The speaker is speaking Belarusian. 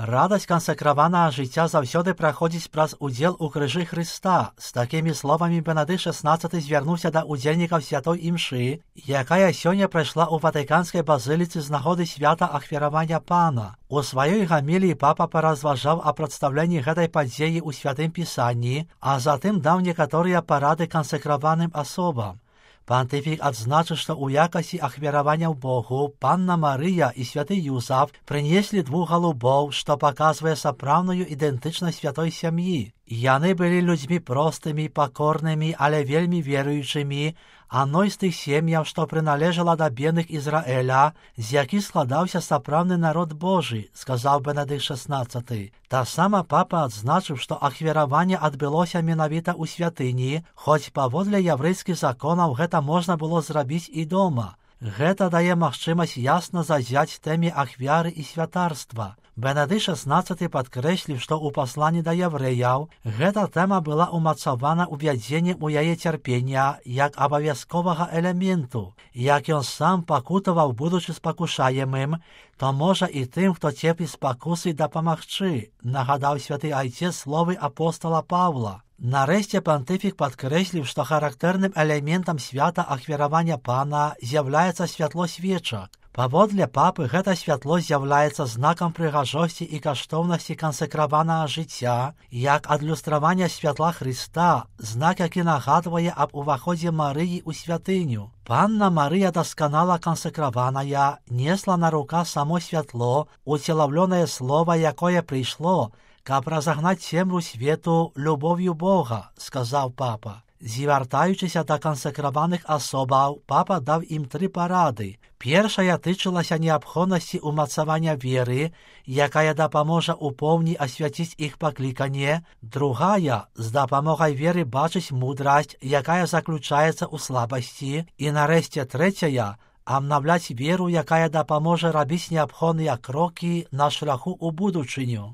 Радасць кансакраванага жыцця заўсёды праходзіць праз удзел у крыжы Хрыста. З такімі словамі Бенедыкт XVI звярнуўся да удзельнікаў святой імшы, якая сёння прайшла ў Ватыканскай базыліцы з нагоды свята ахвяравання Пана. У сваёй гаміліі папа паразважаў о прадстаўленні гэтай падзеі ў святым пісанні, а затым даў некаторыя парады кансакраваным асобам. Пантыфік адзначыў, што ў якасці ахвяравання ў Богу Панна Марыя і святы Юзаф прынеслі 2 галубоў, што паказвае сапраўдную ідэнтычнасць святой сям'і. Яны былі людзьмі простымі, пакорнымі, але вельмі веруючымі, адной з тых сем'яў, што прыналежала да бедных Ізраэля, з якіх складаўся сапраўдны народ Божы, сказаў Бенедыкт XVI. Таксама папа адзначыў, што ахвяраванне адбылося менавіта ў святыні, хоць паводле яўрэйскіх законаў гэта можна было зрабіць і дома. Гэта дае магчымасць ясна зазяць тэме ахвяры і святарства. Бенедыкт XVI падкрэсліў, што ў пасланні да яўрэяў гэта тэма была ўмацавана увядзеннем у яе цярпення як абавязковага элементу. Як ён сам пакутаваў, будучы спакушаемым, то можа і тым, хто церпіць спакусы, дапамагчы, нагадаў святы айцец словы апостола Паўла. Нарэшце пантыфік падкрэсліў, што характэрным элементам свята ахвяравання Пана з'яўляецца святло свечак. Паводле папы гэта святло з'яўляецца знакам прыгажосці і каштоўнасці кансакраванага жыцця, як адлюстравання святла Хрыста, знак, які нагадвае аб уваходзе Марыі ў святыню. Панна Марыя дасканала кансакраваная, несла на руках само святло, уцелаўлёнае слова, якое прыйшло, каб разагнаць цемру свету любоўю Бога, сказаў папа. Звяртаючыся да кансакраваных асобаў, папа даў ім 3 парады. Першая тычылася неабходнасці ўмацавання веры, якая дапаможа ў поўні асвяціць іх пакліканне. Другая — з дапамогай веры бачыць мудрасць, якая заключаецца ў слабасці. І нарэшце трэцяя — абнаўляць веру, якая дапаможа рабіць неабходныя крокі на шляху ў будучыню.